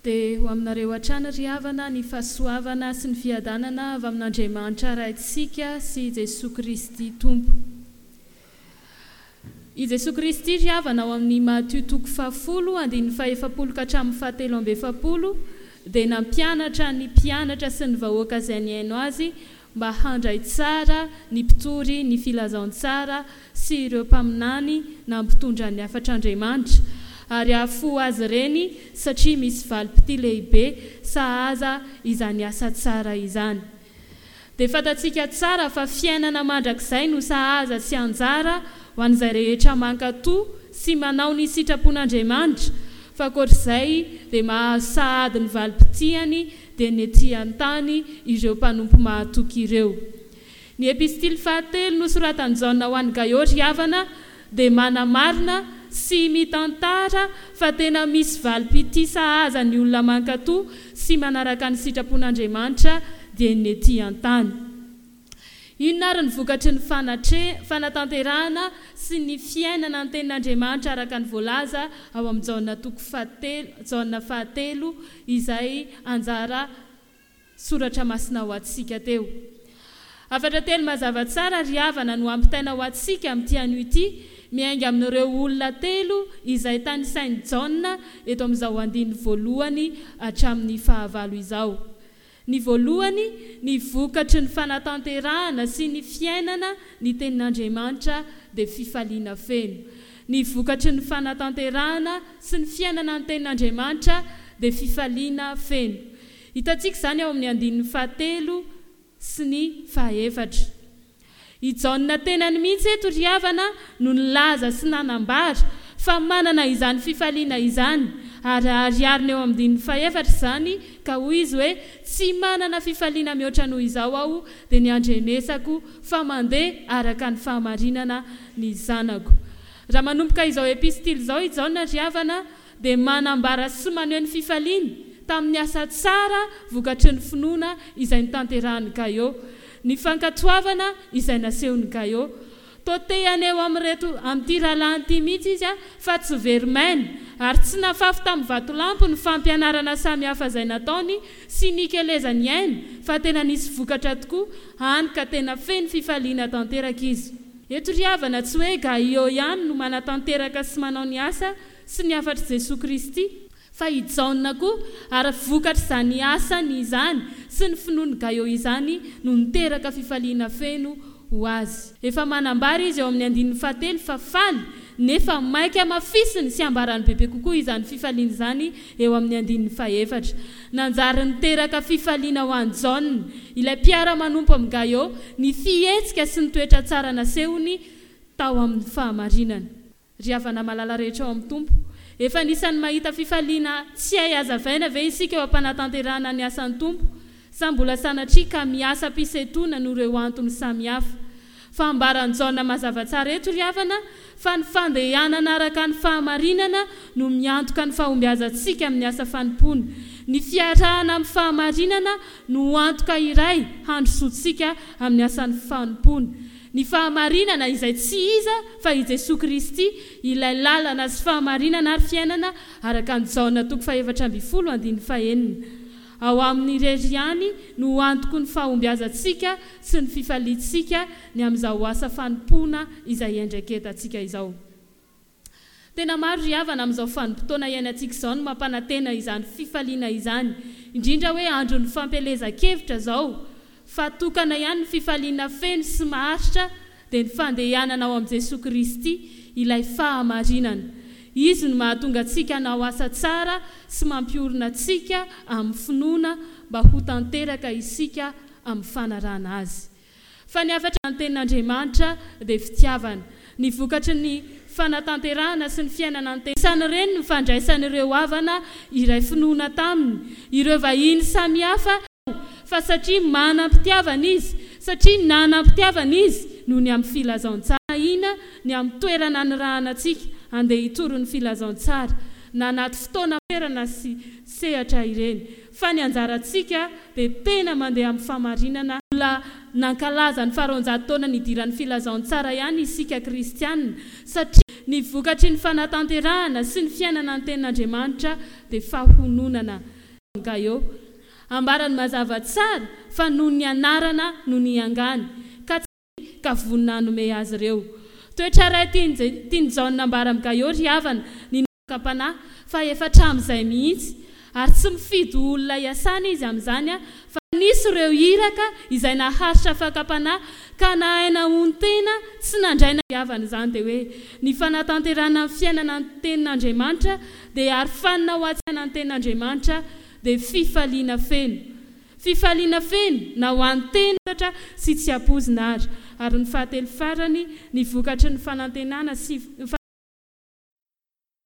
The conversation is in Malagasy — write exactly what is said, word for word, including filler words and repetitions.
Dia ho aminareo hatrany ry havana ny fahasoavana sy ny fiadanana avy amin'Andriamanitra Raintsika sy Jesoa Kristy Tompo. I Jesoa Kristy ry havana ao amin'ny Matio toko fahafolo andininy fahefapolo ka hatramin'ny fahatelo amby efapolo dia nampianatra ny mpianatra sy ny vahoaka izay nihaino azy mba handray tsara ny mpitory ny filazantsara sy ireo mpaminany nampitondra ny hafatr'Andriamanitra ary hahafoha azy ireny satria misy valim-pitia lehibe sahaza izany asa tsara izany. Dia fantatsika tsara fa fiainana mandrakizay no sahaza sy anjara ho an'izay rehetra mankatò sy manao ny sitrapon'Andriamanitra, fa ankoatr'izay dia mahazo sahady ny valim-pitiany dia ny ety an-tany ireo mpanompo mahatoky ireo. Ny epistily fahatelo nosoratan'i Jaona ho an'i Gaio ry havana dia manamarina sy mitantara fa tena misy valim-pitia sahaza ny olona mankatò sy manaraka ny sitrapon'Andriamanitra dia ny ety an-tany. Inona ary ny vokatry ny fanatre, fanatanterahana sy ny fiainana ny tenin'Andriamanitra araka ny voalaza ao amin'ny Jaona toko fahatelo, Jaona fahatelo izay anjara soratra masina ho antsika teo. Hafatra telo mazava tsara ry havana no ampitaina ho antsika amin'ity anio ity, miainga amin'ireo olona telo izay tanisain'i Jaona eto amin'izao andininy voalohany hatramin'ny fahavalo izao. Ny voalohany, ny vokatry ny fanatanterahana sy ny fiainana ny tenin'Andriamanitra dia fifaliana feno. Ny vokatry ny fanatanterahana sy ny fiainana ny tenin'Andriamanitra dia fifaliana feno. Hitantsika izany ao amin'ny andininy fahatelo sy ny fahaefatra. I Jaona tenany mihitsy eto ry havana no nilaza sy nanambara fa manana izany fifaliana izany ary aharihariny eo amin'ny andininy fahefatra izany ka hoy izy hoe tsy manana fifaliana mihoatra noho izao aho dia ny andrenesako fa mandeha araka ny fahamarinana ny zanako. Raha manomboka izao epistily izao i Jaona ry havana dia manambara sy maneho ny fifaliany tamin'ny asa tsara vokatry ny finoana izay notanterahin'i Gaio. Ny fankatoavana izay nasehon'i Gaio. Toa te haneho amin'ireto amin'ity rahalahiny ity mihitsy izy fa tsy very maina ary tsy nafafy tamin'ny vatolampy ny fampianarana samihafa izay nataony sy nikelezany aina fa tena nisy vokatra tokoa, hany ka tena feno fifaliana tanteraka izy. Eto ry havana tsy hoe Gaio ihany no manatanteraka sy manao ny asa sy ny hafatr'i Jesoa Kristy, fa i Jaona koa, ary vokatr'izany asany izany sy ny finoan'i Gaio izany no niteraka fifaliana feno ho azy. Efa manambara izy eo amin'ny andininy fahatelo fa faly, nefa maika hamafisiny sy hambarany bebe kokoa izany fifaliana izany eo amin'ny andininy fahefatra. Nanjary niteraka fifaliana ho an'i Jaona, ilay mpiara-manompo amin'i Gaio, ny fihetsika sy ny toetra tsara nasehony tao amin'ny fahamarinana. Ry havana malala rehetra ao amin'ny Tompo, efa anisan'ny mahita fifaliana tsy hay hazavaina ve isika eo am-panatanterahana ny asan'ny Tompo, sa mbola sanatria ka miasa am-pisentoana noho ireo antony samihafa? Fa ambaran'i Jaona mazava tsara eto ry havana fa ny fandehanana araka ny fahamarinana no miantoka ny fahombiazantsika amin'ny asa fanompoana. Ny fiarahana amin'ny fahamarinana no antoka iray handrosoantsika amin'ny asan'ny fanompoana. Ny fahamarinana izay tsy iza fa i Jesoa Kristy, ilay lalana sy fahamarinana ary fiainana, araka an'i Jaona toko fahefatra ambin'ny folo andininy fahenina. Ao Aminy irery ihany no antoky ny fahombiazantsika sy ny fifaliantsika ny amin'izao asa fanompoana izay iandraiketantsika izao. Tena maro ry havana amin'izao vanim-potoana iainantsika izao no mampanantena izany fifaliana izany, indrindra hoe andron'ny fampielezan-kevitra izao, fa tokana ihany ny fifaliana feno sy maharitra dia ny fandehanana ao amin'i Jesoa Kristy, ilay fahamarinana. Izy no mahatonga antsika hanao asa tsara sy mampiorina antsika amin'ny finoana mba ho tanteraka isika amin'ny fanarahana Azy. Fa ny hafatra ny tenin'Andriamanitra dia fitiavana. Ny vokatry ny fanatanterahana sy ny fiainana ny teny. Isan'ireny ny fandraisan'ireo havana iray finoana taminy, ireo vahiny samihafa, fa satria manam-pitiavana izy, satria nanam-pitiavana izy noho ny amin'ny filazantsara. Ahiana ny amin'ny toerana anirahana antsika handeha hitory ny filazantsara, na anaty fotoana toerana sy sehatra ireny, fa ny anjarantsika dia tena mandeha amin'ny fahamarinana. Mbola Nankalaza ny faharoanjato taona nidiran'ny filazantsara ihany isika kristianina, satria ny vokatry ny fanatanterahana sy ny fiainana ny tenin'Andriamanitra dia fahononana. Gaio. Ambarany mazava tsara fa noho ny anarana no niangany, ka tsy ka vonona hanome azy ireo. Toetra iray tian'i Jaona ambara amin'i Gaio ry havana, ny fakam-panahy, fa efa hatramin'izay mihitsy, ary tsy mifidy olona hiasana izy amin'izany, fa nisy ireo iraka izay naharitra fakam-panahy ka nahay nahonon-tena tsy nandray na havana izany dia hoe ny fanatanterahana ny fiainana ny tenin'Andriamanitra dia arofanina ho antsika ny tenin'Andriamanitra dia fifaliana feno. Fifaliana feno na ho an'ny tena sy tsy ampoizina ary. Ary ny fahatelo farany, ny vokatry ny fanantenana sy